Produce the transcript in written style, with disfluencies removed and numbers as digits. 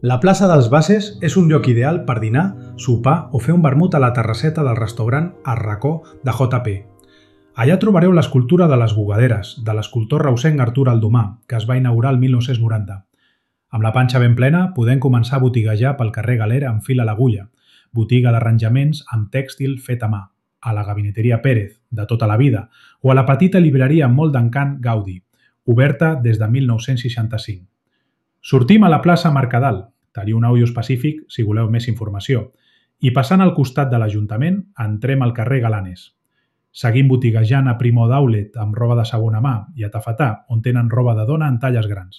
La plaça dels Bases és un lloc ideal per dinar, sopar o fer un vermut a la terrasseta del restaurant El Racó de JP. Allà trobareu l'escultura de les Bugaderes, de l'escultor reusenc Artur Aldomà, que es va inaugurar el 1990. Amb la panxa ben plena, podem començar a botiguejar pel carrer Galera amb fil a l'agulla, botiga d'arranjaments amb tèxtil fet a mà, a la gabineteria Pérez, de tota la vida, o a la petita llibreria amb molt d'encant Gaudi, oberta des de 1965. Sortim a la plaça Mercadal, teniu un àudio específic si voleu més informació, i passant al costat de l'Ajuntament entrem al carrer Galanes. Seguim botiguejant a Primo d'Outlet amb roba de segona mà i a Tafetà, on tenen roba de dona en talles grans.